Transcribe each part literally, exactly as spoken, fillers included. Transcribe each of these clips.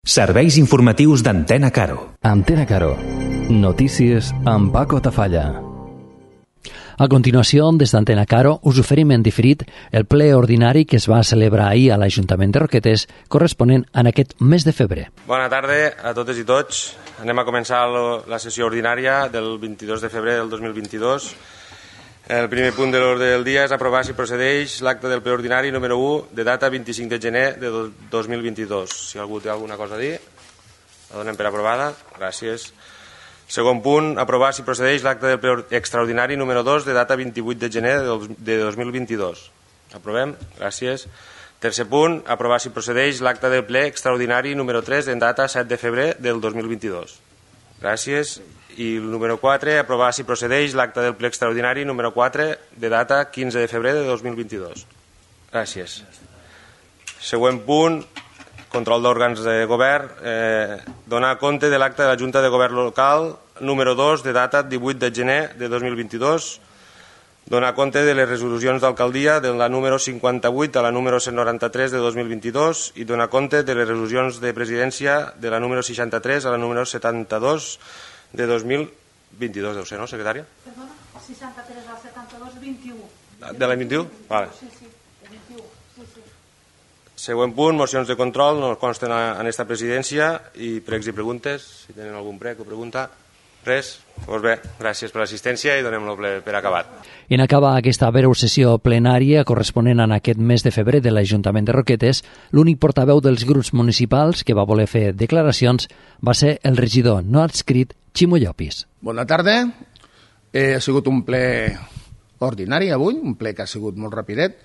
Serveis informatius d'Antena Caro. Antena Caro. Notícies amb Paco Tafalla. A continuació, des d'Antena Caro, us oferim en diferit el ple ordinari que es va celebrar ahir a l'Ajuntament de Roquetes, corresponent en aquest mes de febrer. Bona tarda a totes i tots. Anem a començar la sessió ordinària del vint-i-dos de febrer del dos mil vint-i-dos. El primer punt de l'ordre del dia és aprovar si procedeix l'acte del ple ordinari número u de data vint-i-cinc de gener de dos mil vint-i-dos. Si algú té alguna cosa a dir, la donem per aprovada. Gràcies. Segon punt, aprovar si procedeix l'acte del ple extraordinari número dos de data vint-i-vuit de gener de dos mil vint-i-dos. Aprovem. Gràcies. Tercer punt, aprovar si procedeix l'acte del ple extraordinari número tres en data set de febrer del dos mil vint-i-dos. Gràcies. I el número quatre, aprovar si procedeix l'acte del ple extraordinari número quatre de data quinze de febrer de dos mil vint-i-dos. Gràcies. Següent punt, control d'òrgans de govern. Eh, donar compte de l'acte de la Junta de Govern Local número dos de data divuit de gener de dos mil vint-i-dos. Donar compte de les resolucions d'alcaldia de la número cinquanta-vuit a la número cent noranta-tres de dos mil vint-i-dos i donar compte de les resolucions de presidència de la número seixanta-tres a la número setanta-dos de dos mil vint-i-dos, deu ser, no, secretària? Perdona, seixanta-tres al setanta-dos, vint-i-u. De l'any vint-i-u? Vale. Sí, sí, vint-i-u, sí, sí. Següent punt, mocions de control, no consten en esta presidència, i pregs i preguntes, si tenen algun prec o pregunta. Res? Doncs bé, gràcies per l'assistència i donem-lo per acabat. I en acabar aquesta breu sessió plenària corresponent en aquest mes de febrer de l'Ajuntament de Roquetes, l'únic portaveu dels grups municipals que va voler fer declaracions va ser el regidor no adscrit Ximo Llopis. Bona tarda. Eh, ha sigut un ple ordinari avui, un ple que ha sigut molt rapidet.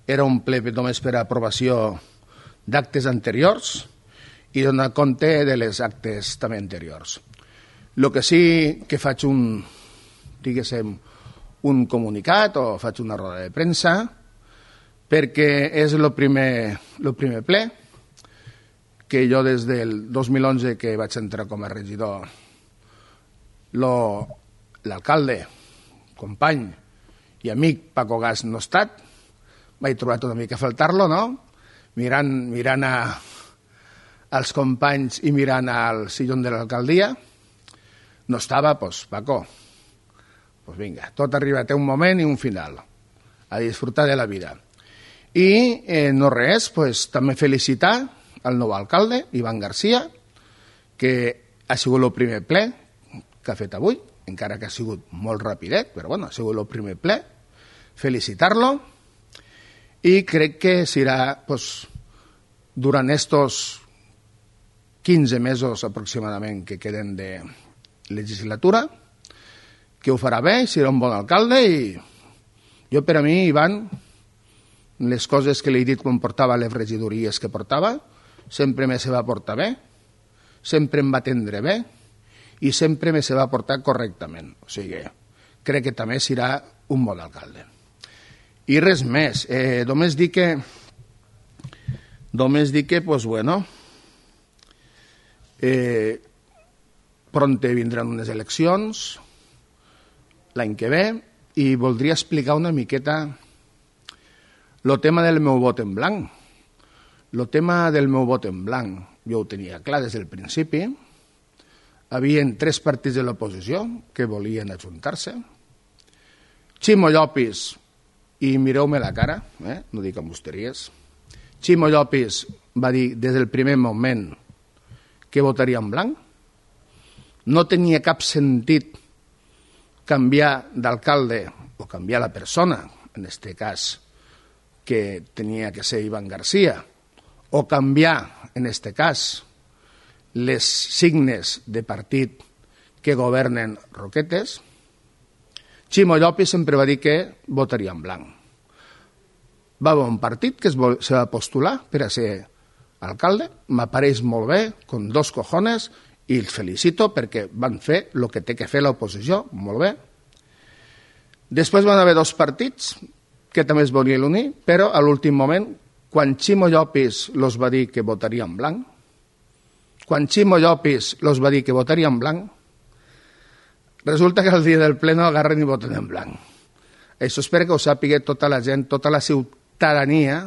Era un ple només per a aprovació d'actes anteriors i donar compte de les actes també anteriors. El que sí que faig un, diguéssim, un comunicat o faig una roda de premsa perquè és el primer, el primer ple que jo des del dos mil onze que vaig entrar com a regidor, l'alcalde, company i amic Paco Gas no ha estat, m'he trobat una mica a faltar-lo, no? Mirant, mirant a, als companys i mirant al sillón de l'alcaldia. No estava, doncs, Paco, doncs vinga, tot arriba, té un moment i un final, a disfrutar de la vida. I eh, no res, doncs, també felicitar el nou alcalde, Iván García, que ha sigut el primer ple que ha fet avui, encara que ha sigut molt rapidet, però bueno, ha sigut el primer ple, felicitar-lo, i crec que serà, doncs, durant estos quinze mesos aproximadament que queden de legislatura, que ho farà bé, serà un bon alcalde i jo per a mi, Ivan, les coses que li he dit quan portava les regidories que portava, sempre me se va portar bé, sempre em va atendre bé i sempre me se va portar correctament. O sigui, crec que també serà un bon alcalde. I res més, eh, només dir que només dir que, pues bueno, eh, pronte vindran unes eleccions l'any que ve i voldria explicar una miqueta el tema del meu vot en blanc. El tema del meu vot en blanc jo ho tenia clar des del principi. Havien tres partits de l'oposició que volien ajuntar-se. Ximo Llopis, i mireu-me la cara, eh? No dic ambusteries, Ximo Llopis va dir des del primer moment que votaria en blanc. No tenia cap sentit canviar d'alcalde o canviar la persona, en aquest cas que tenia que ser Iván García, o canviar, en aquest cas, les signes de partit que governen Roquetes. Ximo Llopis sempre va dir que votaria en blanc. Va haver un partit que es va postular per a ser alcalde, m'apareix molt bé, con dos cojones, i els felicito perquè van fer el que té que fer l'oposició, molt bé. Després van haver dos partits que també es volien unir, però a l'últim moment, quan Ximo Llopis los va dir que votaria en blanc, quan Ximo Llopis los va dir que votaria en blanc, resulta que el dia del ple no agarren i voten en blanc. Això espero que ho sàpiga tota la gent, tota la ciutadania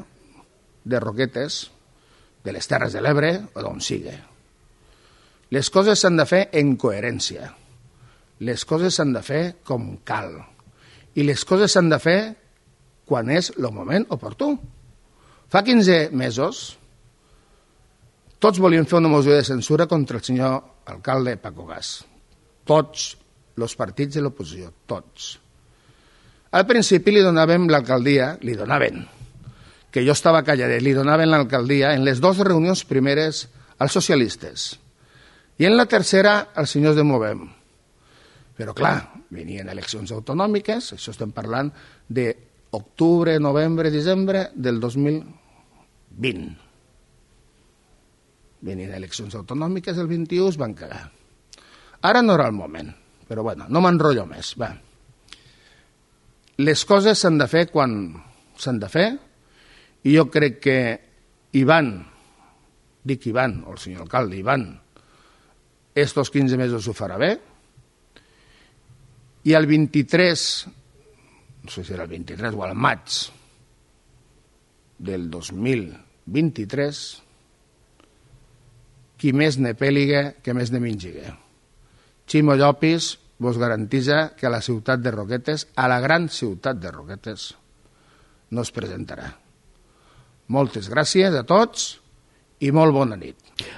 de Roquetes, de les Terres de l'Ebre o d'on sigui. Les coses s'han de fer en coherència. Les coses s'han de fer com cal. I les coses s'han de fer quan és el moment oportú. Fa quinze mesos tots volien fer una moció de censura contra el senyor alcalde Paco Gas. Tots els partits de l'oposició, tots. Al principi li donàvem l'alcaldia, li donaven, que jo estava calladet, li donaven l'alcaldia en les dues reunions primeres als socialistes i en la tercera als senyors de Movem. Però clar, venien eleccions autonòmiques, això estem parlant d'octubre, novembre, desembre del dos mil vint. Venien eleccions autonòmiques el vint-i-u, es van cagar. Ara no era el moment, però bueno, no m'enrotllo més. Va. Les coses s'han de fer quan s'han de fer i jo crec que Ivan, dic Ivan, o el senyor alcalde Ivan, estos quinze mesos ho farà bé i el vint-i-tres, no sé si era el vint-i-tres o al maig del dos mil vint-i-tres, qui més ne pèliga que més ne mengiga. Ximo Llopis vos garantitza que a la ciutat de Roquetes, a la gran ciutat de Roquetes, no es presentarà. Moltes gràcies a tots i molt bona nit.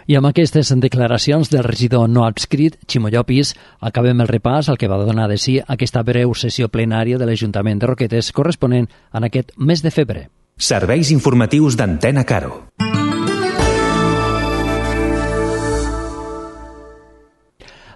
I amb aquestes declaracions del regidor no adscrit, Ximo Llopis, acabem el repàs al que va donar de si aquesta breu sessió plenària de l'Ajuntament de Roquetes corresponent en aquest mes de febrer. Serveis informatius d'Antena Caro.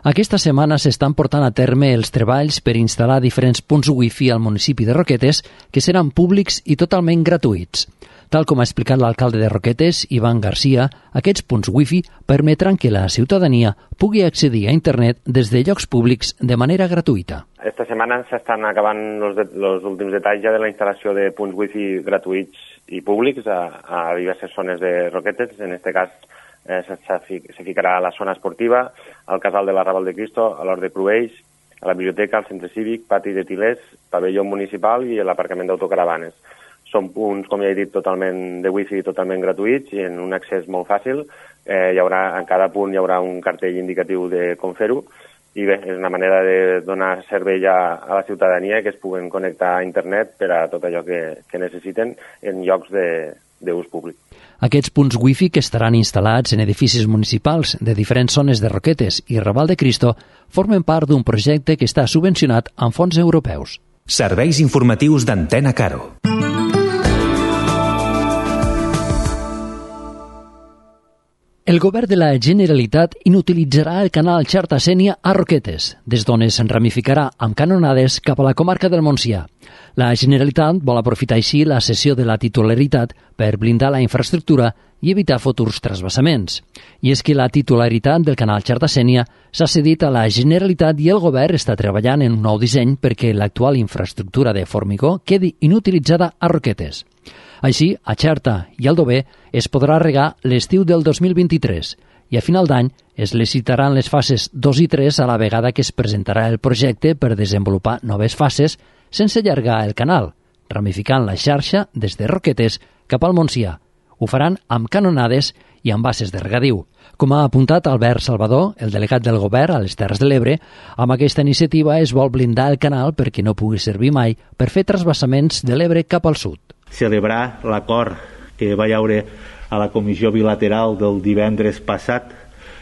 Aquesta setmana s'estan portant a terme els treballs per instal·lar diferents punts wifi al municipi de Roquetes que seran públics i totalment gratuïts. Tal com ha explicat l'alcalde de Roquetes, Ivan Garcia, aquests punts wifi permetran que la ciutadania pugui accedir a internet des de llocs públics de manera gratuïta. Esta setmana s'estan acabant els últims detalls ja de la instal·lació de punts wifi gratuïts i públics a, a diverses zones de Roquetes. En aquest cas eh, se, se ficarà a la zona esportiva, al casal de la Raval de Cristo, a l'Hort de Cruells, a la biblioteca, al centre cívic, pati de Tilers, pavelló municipal i l'aparcament d'autocaravanes. Són punts, com ja he dit, totalment de wifi, totalment gratuïts i en un accés molt fàcil. Eh, hi haurà, en cada punt hi haurà un cartell indicatiu de com fer-ho i bé, és una manera de donar servei a, a la ciutadania que es puguen connectar a internet per a tot allò que, que necessiten en llocs d'ús públic. Aquests punts wifi que estaran instal·lats en edificis municipals de diferents zones de Roquetes i Raval de Cristo formen part d'un projecte que està subvencionat amb fons europeus. Serveis informatius d'Antena Caro. El govern de la Generalitat inutilitzarà el canal Xarta Sénia a Roquetes, des d'on es ramificarà amb canonades cap a la comarca del Montsià. La Generalitat vol aprofitar així la cessió de la titularitat per blindar la infraestructura i evitar futurs trasbassaments. I és que la titularitat del canal Xarta Sénia s'ha cedit a la Generalitat i el govern està treballant en un nou disseny perquè l'actual infraestructura de formigó quedi inutilitzada a Roquetes. Així, a Xerta i Aldover es podrà regar l'estiu del dos mil vint-i-tres i a final d'any es licitaran les fases dos i tres a la vegada que es presentarà el projecte per desenvolupar noves fases sense allargar el canal, ramificant la xarxa des de Roquetes cap al Montsià. Ho faran amb canonades i amb bases de regadiu. Com ha apuntat Albert Salvador, el delegat del govern a les Terres de l'Ebre, amb aquesta iniciativa es vol blindar el canal perquè no pugui servir mai per fer trasbassaments de l'Ebre cap al sud. Celebrar l'acord que va haure a la comissió bilateral del divendres passat,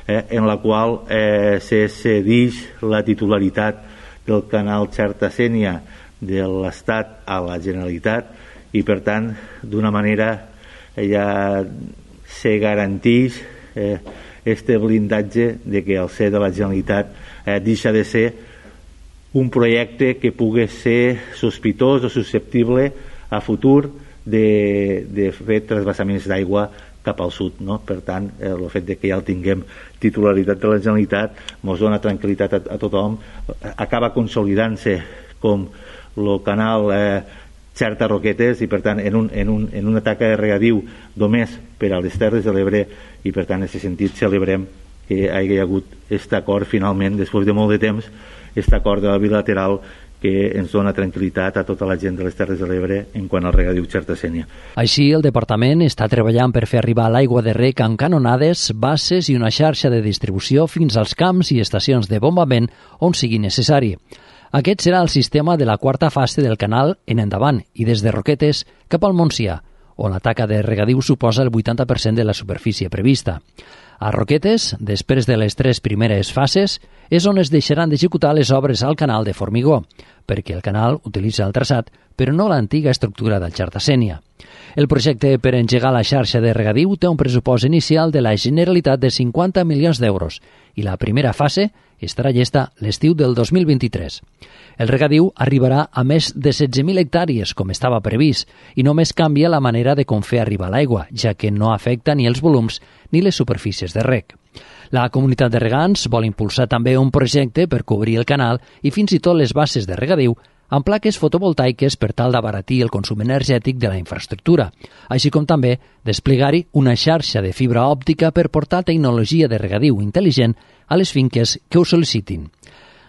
eh, en la qual eh, se cedeix la titularitat del canal Xarta Sénia de l'Estat a la Generalitat i, per tant, d'una manera eh, ja se garanteix eh, este blindatge de que el ser de la Generalitat eh, deixa de ser un projecte que pugui ser sospitós o susceptible a futur de, de fer trasbassaments d'aigua cap al sud, no? Per tant, eh, el fet de que ja el tinguem titularitat de la Generalitat ens dona tranquil·litat a, a tothom, acaba consolidant-se com el canal eh, Xerta Roquetes i per tant en, un, en, un, en una taca de regadiu només per a les Terres de l'Ebre i per tant en aquest sentit celebrem que hi hagi hagut aquest acord finalment, després de molt de temps, aquest acord de la bilateral que ens dona tranquil·litat a tota la gent de les Terres de l'Ebre en quant al regadiu Xerta-Sénia. Així, el departament està treballant per fer arribar l'aigua de rec amb canonades, basses i una xarxa de distribució fins als camps i estacions de bombament on sigui necessari. Aquest serà el sistema de la quarta fase del canal en endavant i des de Roquetes cap al Montsià, on la taca de regadiu suposa el vuitanta per cent de la superfície prevista. A Roquetes, després de les tres primeres fases, és on es deixaran d'executar les obres al canal de Formigó, perquè el canal utilitza el traçat, però no l'antiga estructura del Xerta-Sénia. El projecte per engegar la xarxa de regadiu té un pressupost inicial de la Generalitat de cinquanta milions d'euros i la primera fase estarà llesta l'estiu del dos mil vint-i-tres. El regadiu arribarà a més de setze mil hectàrees, com estava previst, i només canvia la manera de com fer arribar l'aigua, ja que no afecta ni els volums ni les superfícies de reg. La comunitat de regants vol impulsar també un projecte per cobrir el canal i fins i tot les bases de regadiu amb plaques fotovoltaiques per tal d'abaratir el consum energètic de la infraestructura, així com també desplegar-hi una xarxa de fibra òptica per portar tecnologia de regadiu intel·ligent a les finques que ho sol·licitin.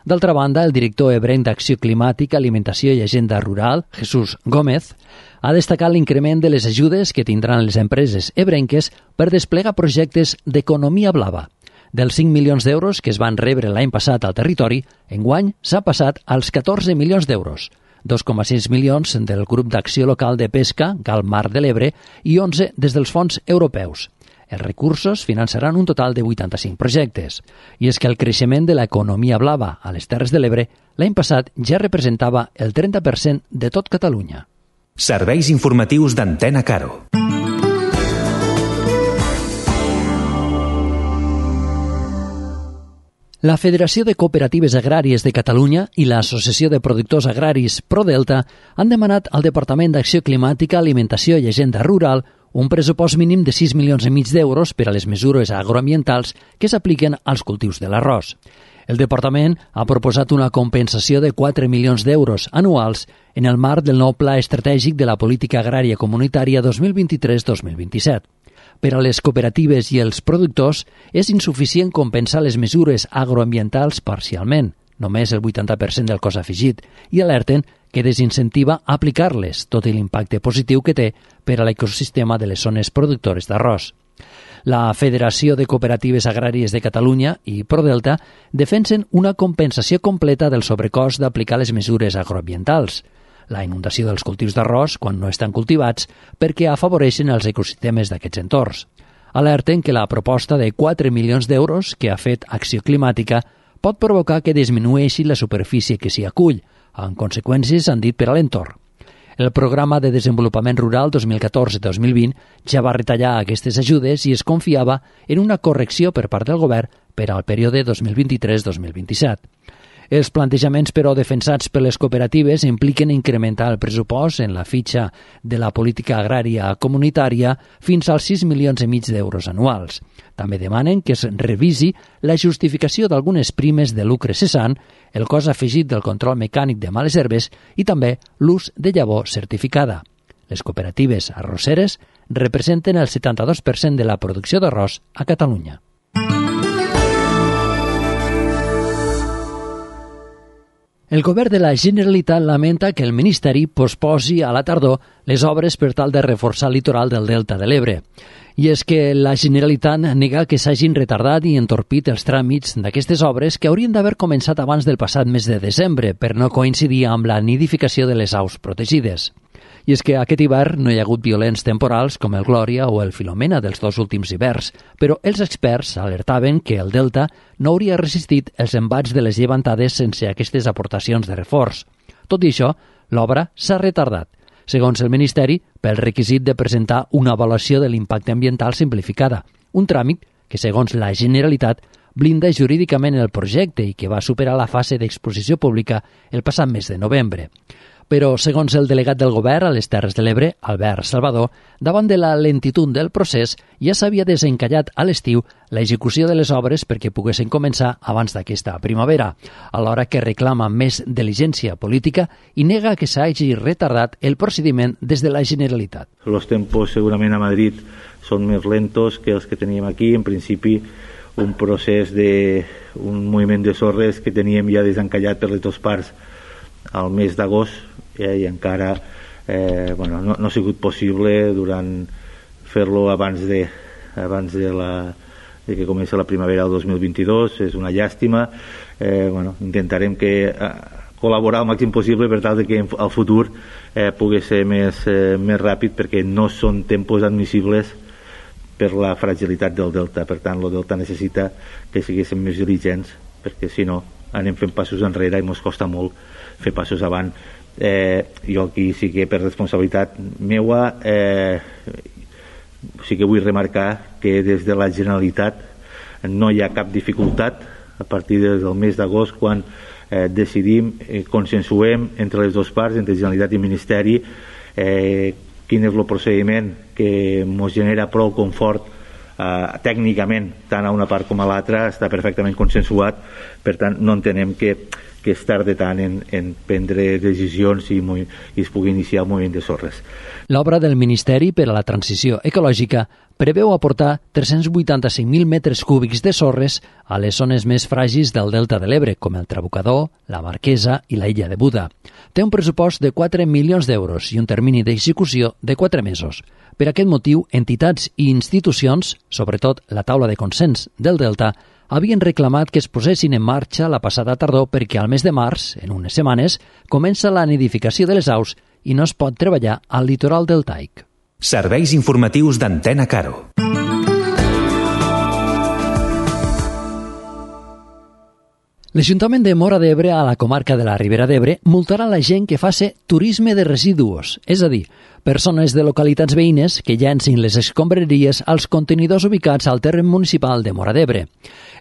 D'altra banda, el director ebrenc d'Acció Climàtica, Alimentació i Agenda Rural, Jesús Gómez, ha destacat l'increment de les ajudes que tindran les empreses ebrenques per desplegar projectes d'economia blava. Dels cinc milions d'euros que es van rebre l'any passat al territori, enguany s'ha passat als catorze milions d'euros, dos coma sis milions del grup d'acció local de pesca, Gal Mar de l'Ebre, i onze des dels fons europeus. Els recursos finançaran un total de vuitanta-cinc projectes. I és que el creixement de l'economia blava a les Terres de l'Ebre l'any passat ja representava el trenta per cent de tot Catalunya. Serveis informatius d'Antena Caro. La Federació de Cooperatives Agràries de Catalunya i l'Associació de Productors Agraris ProDelta han demanat al Departament d'Acció Climàtica, Alimentació i Agenda Rural un pressupost mínim de sis milions i mig d'euros per a les mesures agroambientals que s'apliquen als cultius de l'arròs. El Departament ha proposat una compensació de quatre milions d'euros anuals en el marc del nou Pla Estratègic de la Política Agrària Comunitària dos mil vint-i-tres dos mil vint-i-set. Per a les cooperatives i els productors és insuficient compensar les mesures agroambientals parcialment, només el vuitanta per cent del cost afegit, i alerten que desincentiva aplicar-les, tot i l'impacte positiu que té per a l'ecosistema de les zones productores d'arròs. La Federació de Cooperatives Agràries de Catalunya i ProDelta defensen una compensació completa del sobrecost d'aplicar les mesures agroambientals, la inundació dels cultius d'arròs quan no estan cultivats perquè afavoreixen els ecosistemes d'aquests entorns. Alerten que la proposta de quatre milions d'euros que ha fet Acció Climàtica pot provocar que disminueixi la superfície que s'hi acull, amb conseqüències, han dit, per a l'entorn. El Programa de Desenvolupament Rural dos mil catorze dos mil vint ja va retallar aquestes ajudes i es confiava en una correcció per part del govern per al període dos mil vint-i-tres dos mil vint-i-set. Els plantejaments, però, defensats per les cooperatives impliquen incrementar el pressupost en la fitxa de la política agrària comunitària fins als sis milions i mig d'euros anuals. També demanen que es revisi la justificació d'algunes primes de lucre cessant, el cost afegit del control mecànic de males herbes i també l'ús de llavor certificada. Les cooperatives arrosseres representen el setanta-dos per cent de la producció d'arròs a Catalunya. El govern de la Generalitat lamenta que el Ministeri posposi a la tardor les obres per tal de reforçar el litoral del Delta de l'Ebre. I és que la Generalitat nega que s'hagin retardat i entorpit els tràmits d'aquestes obres que haurien d'haver començat abans del passat mes de desembre per no coincidir amb la nidificació de les aus protegides. I és que aquest hivern no hi ha hagut violents temporals com el Glòria o el Filomena dels dos últims hiverns, però els experts alertaven que el Delta no hauria resistit els embats de les llevantades sense aquestes aportacions de reforç. Tot i això, l'obra s'ha retardat, segons el Ministeri, pel requisit de presentar una avaluació de l'impacte ambiental simplificada, un tràmit que, segons la Generalitat, blinda jurídicament el projecte i que va superar la fase d'exposició pública el passat mes de novembre. Però, segons el delegat del govern a les Terres de l'Ebre, Albert Salvador, davant de la lentitud del procés, ja s'havia desencallat a l'estiu l'execució de les obres perquè poguessin començar abans d'aquesta primavera, alhora que reclama més diligència política i nega que s'hagi retardat el procediment des de la Generalitat. Los tempos segurament a Madrid són més lentos que els que teníem aquí. En principi, un procés de un moviment de sorres que teníem ja desencallat per les dues parts al mes d'agost eh, i encara eh, bueno, no, no ha sigut possible durant fer-lo abans de, abans de, la, de que comença la primavera del dos mil vint-i-dos. És una llàstima. Eh, bueno, intentarem que eh, col·laborar el màxim possible per tal de que al futur eh, pugui ser més, eh, més ràpid, perquè no són tempos admissibles per la fragilitat del delta. Per tant, el delta necessita que siguéssim més diligents, perquè si no anem fent passos enrere i ens costa molt fer passos avant. Eh, jo aquí sí que per responsabilitat meua eh, sí que vull remarcar que des de la Generalitat no hi ha cap dificultat a partir del mes d'agost, quan eh, decidim, eh, consensuem entre les dues parts, entre Generalitat i Ministeri, eh, quin és el procediment que ens genera prou confort eh, tècnicament, tant a una part com a l'altra, està perfectament consensuat. Per tant, no entenem que, que es tardi tant en, en prendre decisions i, i es pugui iniciar el moviment de sorres. L'obra del Ministeri per a la Transició Ecològica preveu aportar tres-cents vuitanta-cinc mil metres cúbics de sorres a les zones més fràgils del Delta de l'Ebre, com el Trabucador, la Marquesa i la Illa de Buda. Té un pressupost de quatre milions d'euros i un termini d'execució de quatre mesos. Per aquest motiu, entitats i institucions, sobretot la taula de consens del Delta, havien reclamat que es posessin en marxa la passada tardor perquè al mes de març, en unes setmanes, comença la nidificació de les aus i no es pot treballar al litoral deltaic. Serveis informatius d'Antena Caro. L'Ajuntament de Móra d'Ebre, a la comarca de la Ribera d'Ebre, multarà la gent que faci turisme de residus, és a dir, persones de localitats veïnes que llancin les escombraries als contenidors ubicats al terreny municipal de Móra d'Ebre.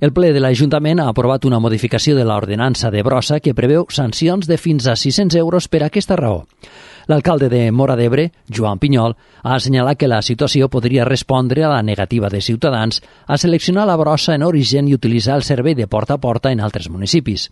El ple de l'Ajuntament ha aprovat una modificació de l'ordenança de Brossa que preveu sancions de fins a sis-cents euros per aquesta raó. L'alcalde de Móra d'Ebre, Joan Pinyol, ha assenyalat que la situació podria respondre a la negativa de ciutadans a seleccionar la brossa en origen i utilitzar el servei de porta a porta en altres municipis.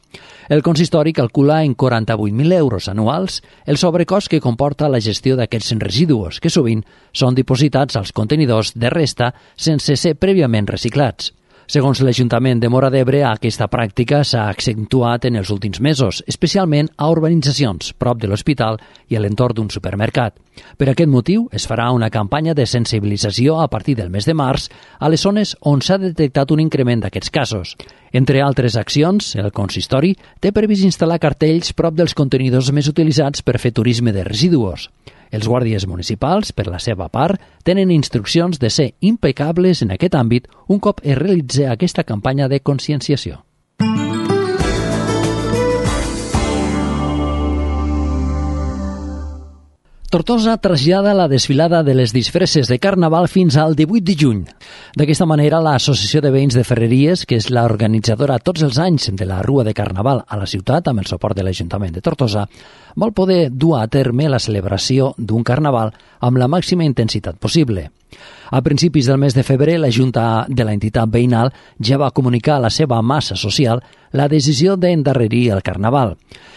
El consistori calcula en quaranta-vuit mil euros anuals el sobrecost que comporta la gestió d'aquests residus, que sovint són dipositats als contenidors de resta sense ser prèviament reciclats. Segons l'Ajuntament de Móra d'Ebre, aquesta pràctica s'ha accentuat en els últims mesos, especialment a urbanitzacions, prop de l'hospital i a l'entorn d'un supermercat. Per aquest motiu, es farà una campanya de sensibilització a partir del mes de març a les zones on s'ha detectat un increment d'aquests casos. Entre altres accions, el consistori té previst instal·lar cartells prop dels contenidors més utilitzats per fer turisme de residus. Els guàrdies municipals, per la seva part, tenen instruccions de ser impecables en aquest àmbit un cop es realitzi aquesta campanya de conscienciació. Tortosa trasllada la desfilada de les disfresses de Carnaval fins al divuit de juny. D'aquesta manera, l'Associació de Veïns de Ferreries, que és l'organitzadora tots els anys de la Rua de Carnaval a la ciutat, amb el suport de l'Ajuntament de Tortosa, vol poder dur a terme la celebració d'un Carnaval amb la màxima intensitat possible. A principis del mes de febrer, la Junta de l'entitat veïnal ja va comunicar a la seva massa social la decisió d'endarrerir el Carnaval.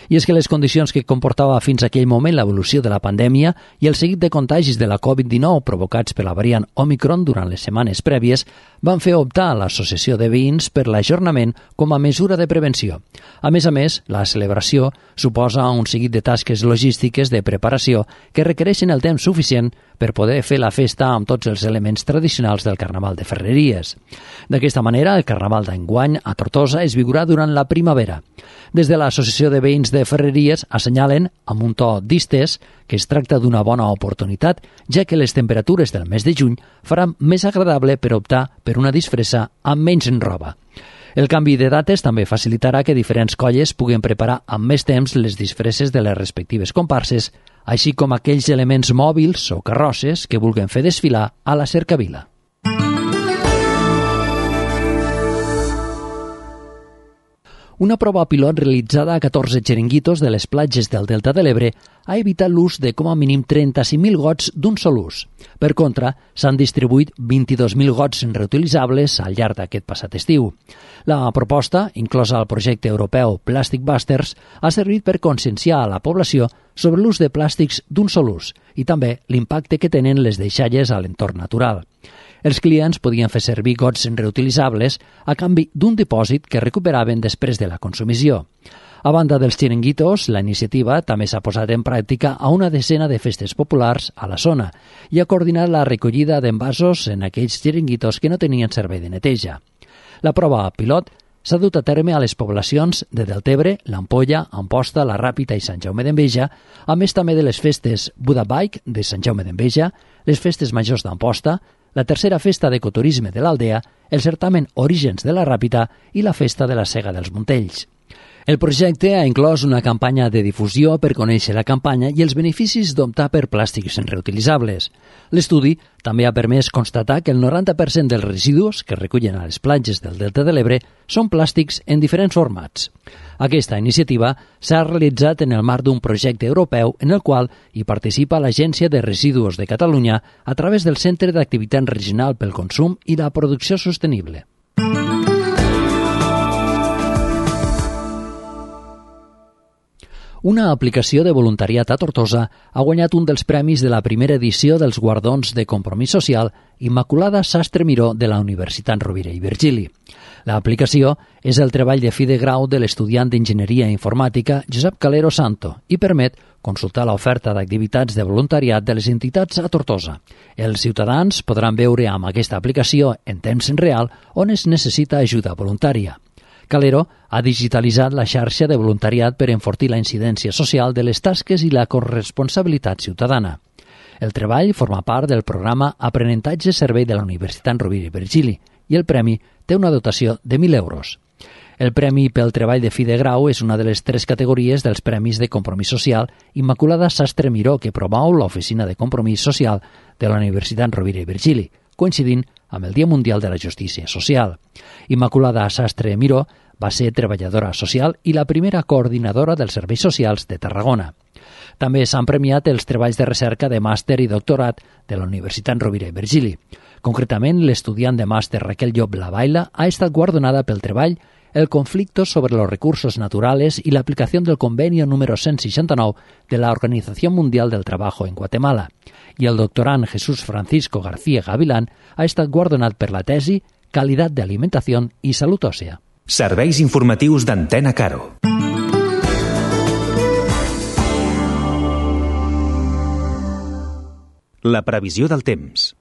I és que les condicions que comportava fins a aquell moment l'evolució de la pandèmia i el seguit de contagis de la covid dinou provocats per la variant Omicron durant les setmanes prèvies van fer optar a l'Associació de Veïns per l'ajornament com a mesura de prevenció. A més a més, la celebració suposa un seguit de tasques logístiques de preparació que requereixen el temps suficient per poder fer la festa amb tots els elements tradicionals del Carnaval de Ferreries. D'aquesta manera, el Carnaval d'enguany a Tortosa es viurà durant la primavera. Des de l'Associació de Veïns de Ferreries assenyalen, amb un to distès, que es tracta d'una bona oportunitat, ja que les temperatures del mes de juny faran més agradable per optar per una disfressa amb menys roba. El canvi de dates també facilitarà que diferents colles puguen preparar amb més temps les disfresses de les respectives comparses, així com aquells elements mòbils o carrosses que vulguin fer desfilar a la cercavila. Una prova pilot realitzada a catorze xiringuitos de les platges del Delta de l'Ebre ha evitat l'ús de com a mínim trenta-cinc mil gots d'un sol ús. Per contra, s'han distribuït vint-i-dos mil gots reutilitzables al llarg d'aquest passat estiu. La proposta, inclosa al projecte europeu Plastic Busters, ha servit per conscienciar a la població sobre l'ús de plàstics d'un sol ús i també l'impacte que tenen les deixalles a l'entorn natural. Els clients podien fer servir gots reutilitzables a canvi d'un dipòsit que recuperaven després de la consumició. A banda dels xiringuitos, la iniciativa també s'ha posat en pràctica a una decena de festes populars a la zona i ha coordinat la recollida d'envasos en aquells xiringuitos que no tenien servei de neteja. La prova pilot s'ha dut a terme a les poblacions de Deltebre, l'Ampolla, Amposta, la Ràpita i Sant Jaume d'Enveja, a més també de les festes Buda Bike de Sant Jaume d'Enveja, les festes majors d'Amposta, la tercera festa d'ecoturisme de l'Aldea, el certamen Orígens de la Ràpita i la festa de la Sega dels Montells. El projecte ha inclòs una campanya de difusió per conèixer la campanya i els beneficis d'optar per plàstics reutilitzables. L'estudi també ha permès constatar que el noranta per cent dels residus que es recullen a les platges del Delta de l'Ebre són plàstics en diferents formats. Aquesta iniciativa s'ha realitzat en el marc d'un projecte europeu en el qual hi participa l'Agència de Residus de Catalunya a través del Centre d'Activitat Regional pel Consum i la Producció Sostenible. Una aplicació de voluntariat a Tortosa ha guanyat un dels premis de la primera edició dels Guardons de Compromís Social Immaculada Sastre Miró de la Universitat Rovira i Virgili. L'aplicació és el treball de fi de grau de l'estudiant d'Enginyeria Informàtica Josep Calero Santo i permet consultar l'oferta d'activitats de voluntariat de les entitats a Tortosa. Els ciutadans podran veure amb aquesta aplicació en temps real on es necessita ajuda voluntària. Calero ha digitalitzat la xarxa de voluntariat per enfortir la incidència social de les tasques i la corresponsabilitat ciutadana. El treball forma part del programa Aprenentatge Servei de la Universitat Rovira i Virgili i el premi té una dotació de mil euros. El premi pel treball de fi de grau és una de les tres categories dels Premis de Compromís Social Immaculada Sastre Miró que promou l'Oficina de Compromís Social de la Universitat Rovira i Virgili, coincidint amb el Dia Mundial de la Justícia Social. Immaculada Sastre Miró va ser treballadora social i la primera coordinadora dels serveis socials de Tarragona. També s'han premiat els treballs de recerca de màster i doctorat de la Universitat Rovira i Virgili. Concretament, l'estudiant de màster Raquel Llop Lavaila ha estat guardonada pel treball El conflicto sobre los recursos naturales y la aplicación del convenio número cent seixanta-nou de la Organización Mundial del Trabajo en Guatemala. I el doctorant Jesús Francisco García Gavilán ha estat guardonat per la tesi Calidad de Alimentación y Salud Òsea. Serveis informatius d'Antena Caro. La previsió del temps.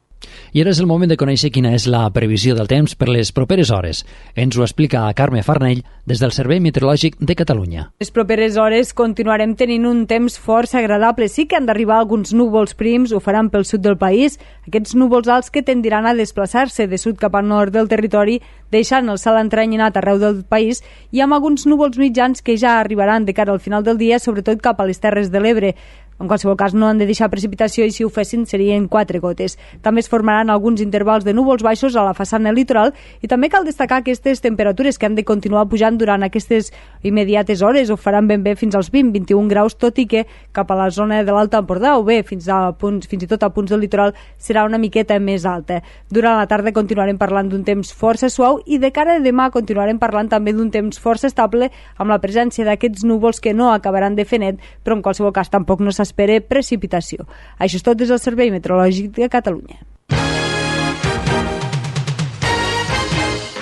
I ara és el moment de conèixer quina és la previsió del temps per les properes hores. Ens ho explica Carme Farnell des del Servei Meteorològic de Catalunya. Les properes hores continuarem tenint un temps força agradable. Sí que han d'arribar alguns núvols prims, ho faran pel sud del país. Aquests núvols alts que tendiran a desplaçar-se de sud cap al nord del territori, deixant el cel entrenyinat arreu del país i amb alguns núvols mitjans que ja arribaran de cara al final del dia, sobretot cap a les Terres de l'Ebre. En qualsevol cas, no han de deixar precipitació i si ho fessin serien quatre gotes. També es formaran alguns intervals de núvols baixos a la façana litoral i també cal destacar aquestes temperatures que han de continuar pujant durant aquestes immediates hores. Ho faran ben bé fins als vint a vint i un graus, tot i que cap a la zona de l'Alta Empordà o bé fins, a punts, fins i tot a punts del litoral serà una miqueta més alta. Durant la tarda continuarem parlant d'un temps força suau i de cara a demà continuarem parlant també d'un temps força estable amb la presència d'aquests núvols que no acabaran de fer net, però en qualsevol cas tampoc no s'espera precipitació. Això és tot des del Servei Meteorològic de Catalunya.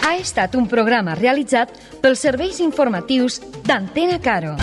Ha estat un programa realitzat pels serveis informatius d'Antena Caro.